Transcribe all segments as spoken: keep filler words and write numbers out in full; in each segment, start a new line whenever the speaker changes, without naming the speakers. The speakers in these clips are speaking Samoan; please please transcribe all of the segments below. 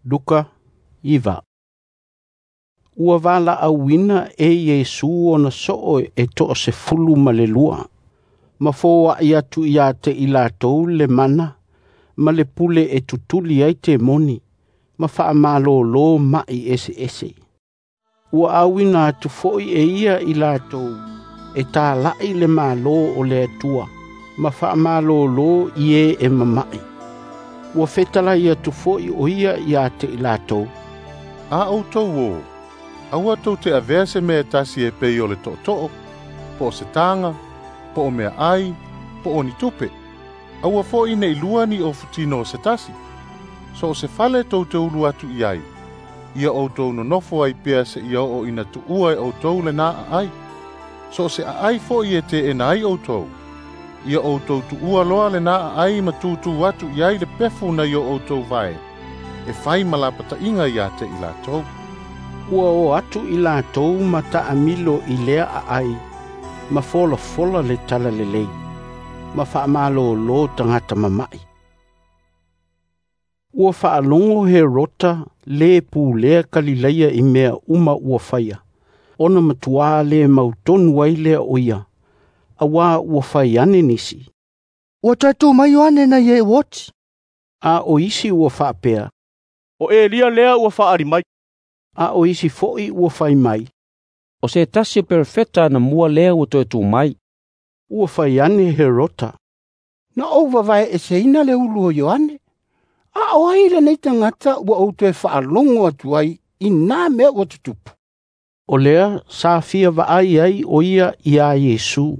Luka iva. Ua valaauina e Iesu ona soo e toasefulu ma le lua, ma foai atu ia te i latou le mana ma le pule e tutuli ai temoni, ma faamalōlō maʻi eseese. Ua auina atu foi e ia i latou e talaʻi le Malo o le Atua, ma faamalōlō i e e mamaʻi. Ua fetalai atu foi o ia ia te i latou,
A outou o, aua tou te avea se mea e tasi e pei o le tootoo, po o se taga, po o meaai, po o ni tupe. Aua foi nei lua ni ofutino o se tasi. So o se fale tou te ulu atu i ai, ia outou nonofo ai pea seia oo ina tuua e outou lena aai. So o se aai foi e teena ai outou, ia outou tuua loa lena aai ma tutū atu i ai le pefu nai o outou vae, e fai ma lapataiga ia te i latou.
Ua o atu i latou ma taamilo i lea aai, ma folafola le talalelei, ma faamalōlō tagata mamaʻi. Ua faalogo Herota le pulea Kalilaia i mea uma ua faia, ona matuā le mautonu ai lea o ia, auā ua fai ane nisi,
Ua toe tu mai Ioane nai e ua oti.
A o isi ua faapea,
O Elia lea ua faaali mai.
A o isi foi ua fai mai,
O se tasi o perofeta anamua lea ua toe tu mai.
Ua fai ane Herota,
Na ou vavaeeseina le ulu o Ioane. A o ai lenei tagata ua ou toe faalogo atu ai i nā mea ua tutupu.
O lea sa fia vaai ai o ia iā Iesu.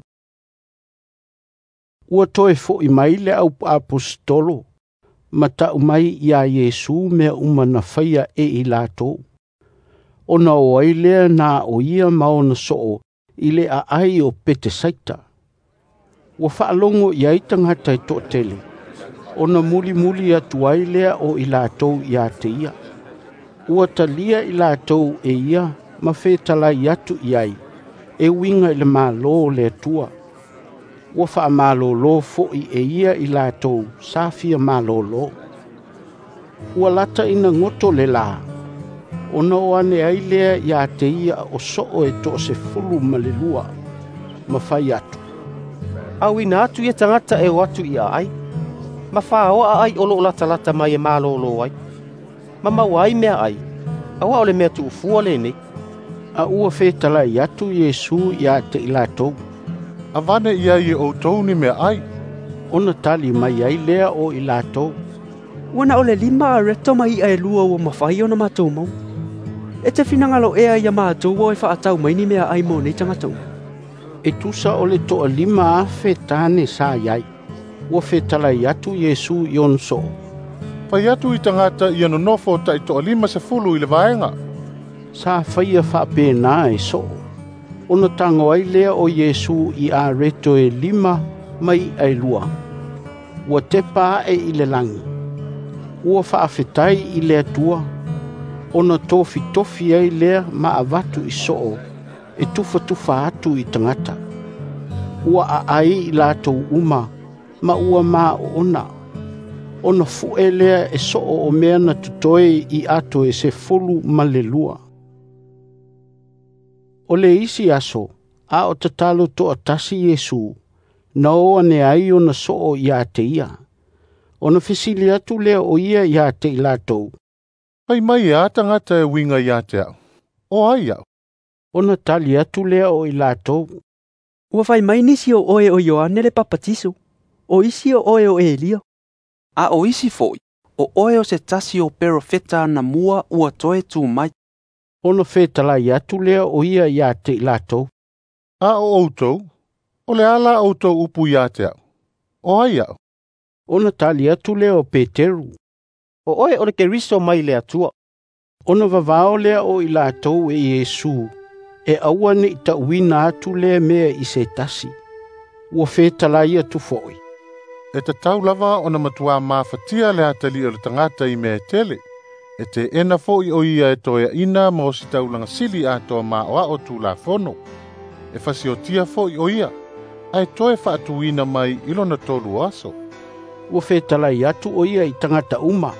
Ua toe foʻi mai le auaposetolo ma tau mai iā Iesu mea uma na faia e i latou. Ona o ai lea na o ia ma ona soo i le aai o Petesaita. Ua faalogo i ai tagata e toatele, ona mulimuli atu ai lea o i latou ia te ia. Ua talia i latou e ia ma fetalai atu i ai, e uiga i le Malo o le Atua. Ua faamalōlō foi e ia i latou sa fia malōlō. Ua lata ina goto le lā, ona o ane ai lea ia te ia o soo e toasefulu ma le lua, ma fai atu,
Auina atu ia tagata e o atu i aai, ma whaoa ai o loo latalata mai e malōlō ai. Ma maua ai mea ai, auā o le mea tuufua lenei.
A ua fetalai atu Iesu ia te i latou,
Avane i ai e outou ni meaai.
Ona tali mai ai lea o i latou,
Ua na o le lima areto ma iʻa e lua ua mafai ona matou maua. E te finagalo ea ia matou o e faatau mai ni meaai mo nei tagata uma.
E tusa o le toalima afe tane sa iai. Ua fetalai atu Iesu i ona soo,
Fai atu i tagata ia nonofo taitoalima sefulu i le vaega.
Sa faia faapena e soo. Ona tago ai lea o Iesu i areto e lima ma iʻa e lua. Ua tepa ae i le lagi. Ua faafetai i le Atua, ona tofitofi ai lea ma avatu i soo, e tufatufa atu i tagata. Ua aai i latou uma, ma ua maoona. Ona fue lea e soo o mea na totoe i ato e sefulu ma le lua. O le isi aso, a o tatalo toatasi Iesu, na o ane ai ona soo ia te ia. Ona fesili atu lea o ia ia te i latou,
Fai mai e a tagata e uiga ia te au. O ai au.
Ona tali atu lea o i latou,
Ua fai mai nisi o oe o Ioane le Papatiso, o isi o oe o Elia.
A o isi foi, o oe o se tasi o perofeta anamua ua toe tu mai.
Ona fetalai atu lea o ia ia te i latou,
A o outou, o le a la outou upu ia te au. O ai au.
Ona tali atu lea o Peteru,
O oe o le Keriso mai le Atua.
Ona vavao lea o i latou e Iesu, e aua nei tauina atu lea mea i se tasi. Ua fetalai atu foi,
E tatau lava ona matuā mafatia le atalii o le tagata i mea e tele. E teena foi o ia e toeaina ma ositaulaga sili atoa maoao tulafono. E fasiotia foi o ia, ae toe faatuina mai i lona tolu o aso.
Ua fetalai atu o ia i tagata uma,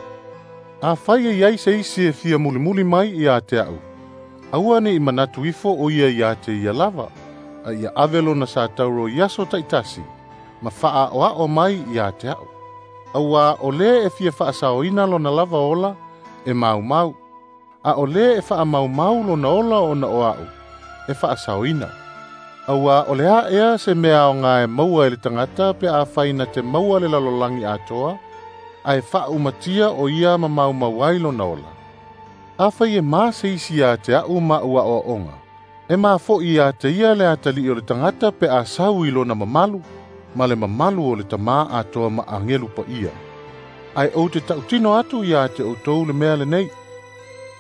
Afai e iai se isi e fia mulimuli mai ia te a'u, aua ne'i manatu ifo o ia iā te ia lava, a ia ave lona satauro i aso ta'itasi, ma fa'aa'oa'o mai iā te a'u. Auā o lē e fia fa'asaoina lona lava ola, e maumau, a o lē e fa'amaumau lona ola ona o a'u, e fa'asaoina. Auā o le a ea se mea aogā e maua e le tagata pe afai na te maua le lalolagi atoa, ae fa'aumatia o ia ma maumau ai lona ola. Afai e ma se isi iā te a'u ma'u a'oa'oga, e mafo'i iā te ia le atali'i o le tagata pe a sau i lona mamalu, ma le mamalu o le Tamā atoa ma agelu pa'ia. Ae ou te ta'utino atu iā te outou le mea lenei,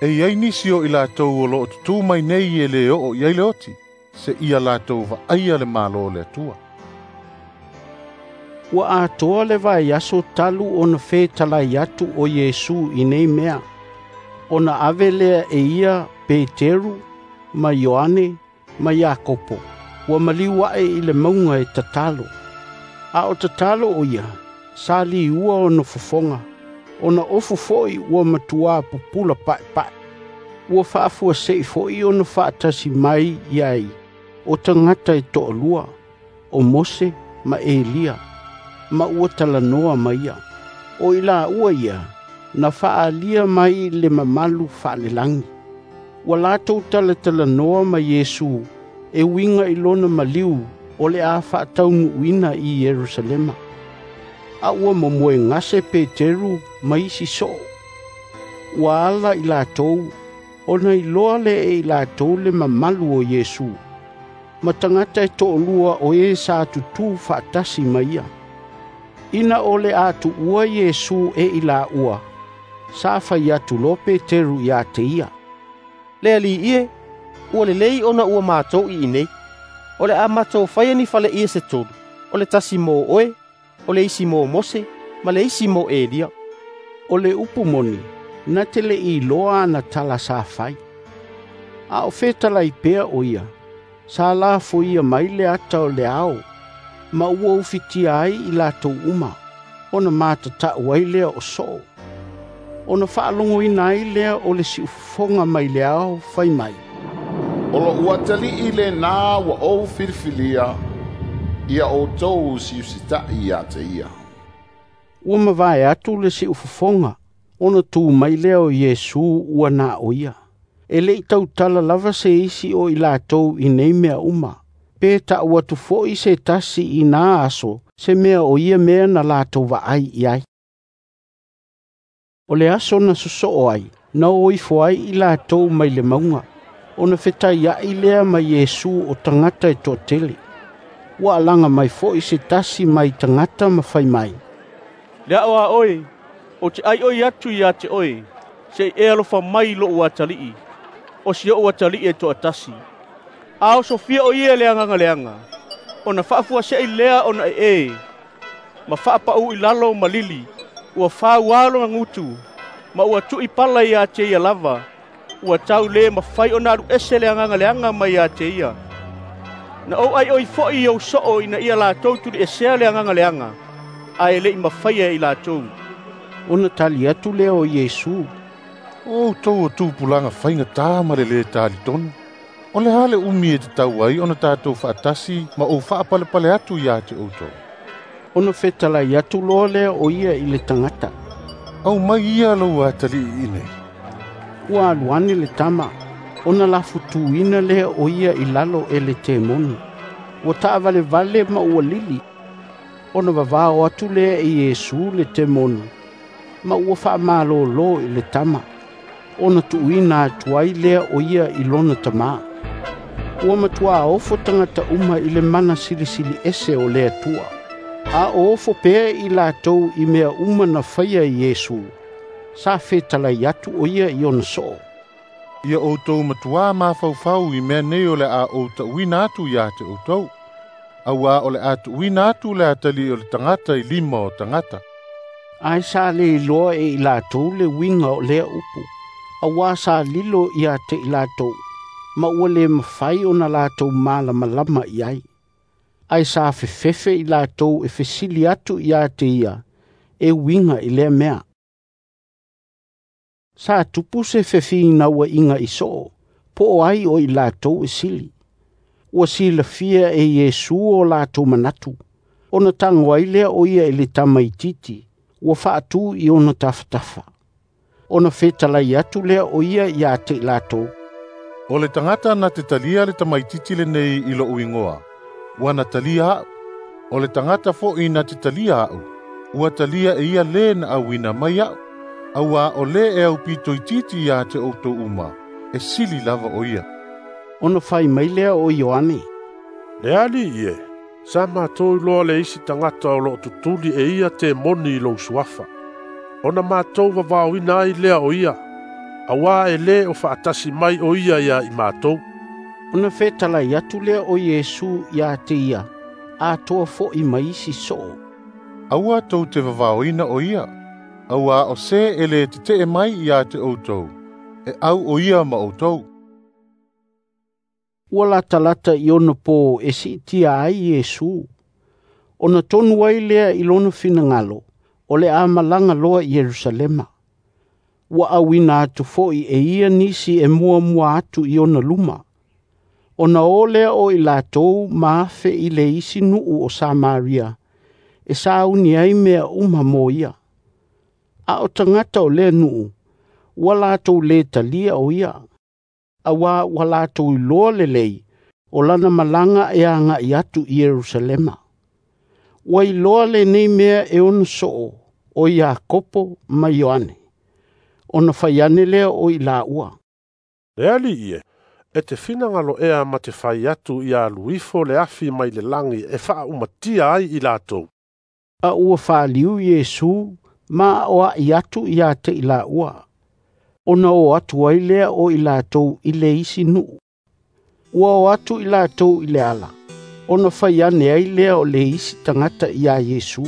e iai nisi o i latou o lo'o tutū mai nei e lē o'o i ai le oti, se'ia latou va'aia le Mālō o le Atua.
Ua atoa le vaiaso talu ona fetalai atu o Iesu i nei mea, ona ave lea e ia Peteru ma Ioane ma Iakopo, ua maliu a'e i le mauga e tatalo. A o tatalo o ia, sa liua ona fofoga, ona ofu fo'i ua matuā pupula pa'epa'e. Ua fa'afuase'i fo'i ona fa'atasi mai i ai o tagata e to'alua, o Mose ma Elia, ma ua talanoa ma ia. O i laua ia, na fa'aalia mai le mamalu fa'alelagi. Ua latou talatalanoa ma Iesu e uiga i lona maliu o le a fa'ataunu'uina i Ierusalema. A ua momoe gase Peteru ma isi so'o. Ua ala i latou, ona iloa lea e i latou le mamalu o Iesu, ma tagata e to'alua o e sa tutū fa'atasi ma ia. Ina o le a tu'ua Iesu e i laua, sa fai atu loa Peteru iā te ia.
Le Ali'i e, ua lelei ona ua matou i inei. O le a matou faia ni faleie se tolu, o le tasi mo oe, o le isi mo Mose, ma le isi mo Elia.
O le upu moni, na te le'i iloa ana tala sa fai. A o fetalai pea o ia, sa lafoia mai le ata o le ao, ma ua ufitia ai i latou uma, ona matata'u ai lea o so'o. Ona fa'alogoina ai lea o le si'ufofoga mai le ao fai mai.
O lo'u atali'i lenā ua ou filifilia, ia outou usiusita'i iā te ia.
Ua mavae atu le si'ufofoga, ona tū mai lea o Iesu ua na o ia. E le'i tautala lava se isi o i latou i nei mea uma, pe ta'u atu fo'i se tasi i nā aso, se mea o ia mea na latou va'ai i ai. O le aso na soso'o ai, na o ifo ai i latou mai le mauga, ona fetaia'i lea ma Iesu o tagata e to'atele. Ua alaga mai fo'i se tasi mai tagata ma fai mai.
Le a'o a oe, ou te ʻaiʻoi atu iā te oe, se'i e alofa mai i lo'u atali'i, o si o'u atali'i e to'atasi. A osofia o ia e le agaga leaga, ona fa'afuase'i lea ona e'e, ma fa'apa'ū i lalo ma lili, ua fauā lona gutu, ma ua tu'i pala iā te ia lava, ua tau lē mafai ona alu ese le agaga leaga mai iā te ia. Na ou ʻaiʻoi fo'i i ou so'o ina ia latou tuli'esea le agaga leaga, ae le'i mafaia e i latou.
Ona tali atu lea o Iesu.
O outou o tupulaga faigatā ma le lē talitonu. O le a le umi e tatau ai ona tatou fa'atasi ma ou fa'apalepale atu iā te outou.
Ona fetalai atu loa lea o ia i le tagata.
Aumai ia lou atali'i iinei.
Ua alu ane le tama, ona lafutūina lea o ia i lalo e le temoni. Ua ta'avalevale ma ua lili. Ona vavao atu lea e Iesu le temoni, ma ua fa'amalōlō i le tama, ona tu'uina atu ai lea o ia i lona tamā. Ua matuā ofo tagata uma i le mana silisili ese o le Atua. A o ofo pea i latou i mea uma na faia e Iesu, sa fetalai atu o ia i ona so'o.
Ia outou matuā mafaufau i mea nei o le a ou ta'uina atu iā te outou. Auā o le a tu'uina atu le atali'i o le tagata i lima o tagata.
Ae sa lē iloa e i latou le uiga o lea upu, auā sa lilo iā te i latou, ma ua lē mafai ona latou malamalama i ai. Ae sa fefefe i latou e fesili atu iā te ia, e uiga i lea mea. Sa tupu se fefinauaiga i soo, po o ai o i latou e sili. Ua silafia e Iesu o latou manatu, ona tago ai lea o ia i le tamaitiiti, ua faatu i ona tafatafa. Ona fetalai atu lea o ia ia te i latou,
O le tagata na te talia le tamaitiiti lenei i lo'u igoa, ua na talia a'u. O le tagata fo'i na te talia a'u, ua talia e ia lē na auina mai a'u. Auā o lē e aupitoititi ia te outou uma, e sili lava o ia.
Ona fai mai lea o Ioane,
Le Alii e, sa matou iloa le isi tagata o loo tutuli e ia temoni i lou suafa. Ona matou vavaoina ai lea o ia, auā e lē o faatasi mai o ia ia i matou.
Ona fetalai atu lea o Iesu ia te ia, atoa fo'i ma isi soo.
Aua tou te vavaoina o ia, auā o se e lē tete'e mai ia te outou, e au o ia ma outou.
Ua latalata i ona po e siitia ai Iesu. Ona tonu ai lea i lona finagalo, o le a malaga loa i Ierusalema. Ua auina atu fo'i e ia nisi e muamua atu i ona luma. Ona o lea o i latou ma afe i le isi nuu o Samaria, e sauni ai mea uma mo ia. A o tagata o lea nuu, ua latou lē talia o ia. Auā ua latou iloa lelei, o lana malaga e aga'i atu i Ierusalema. Ua iloa lenei mea e ona soo, o Iakopo ma Ioane. Ona fai ane lea o i laua,
Le Alii e, e te finagalo ea ma te fai atu ia alu ifo le afi mai le lagi e faaumatia ai i latou.
A ua faliu Iesu ma aoa'i atu ia te i laua. Ona o atu ai lea o i latou i le isi nuu. Ua o atu i latou i le ala, ona fai ane ai lea o le isi tagata ia Iesu.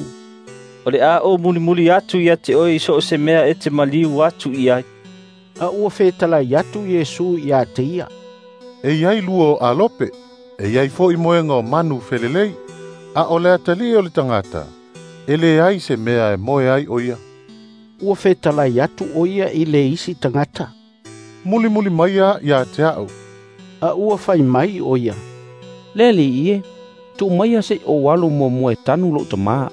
O le a o mulimuli atu ia te oe i so o se mea e te maliu atu i ai.
A ua fetalai atu Iesu ia te ia,
E iai lua o alope, e iai fo'i moega o manu felelei, a o le atalii o le tagata, e leai se mea e moe ai o ia.
Ua fetalai atu o ia i le isi tagata,
Mulimuli maia ia te a'u.
A ua fai mai o ia,
Le Alii e, tuu maia se'i ou alu muamua e tanu lo'u tamā.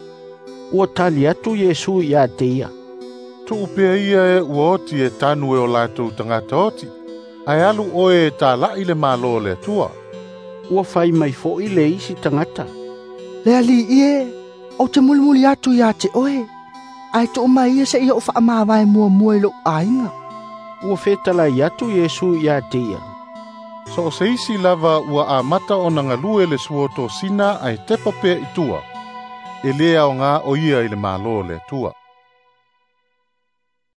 Ua tali atu Iesu ia te ia,
Tuu pea ia e ua oti e tanu e o latou tagata oti, ae alu oe e tala'i le Mālō o le Atua.
Ua fai mai fo'i le isi tagata,
Le Alii e, ou te mulimuli atu ia te oe, ae tuu mai ia seia ou faamavae muamua i lou aiga.
Ua fetalai atu Iesu ia te ia,
So o se isi lava ua amata ona galue le suotosina ae tepa pea i tua, e lē aogā o ia i le Mālō o le Atua.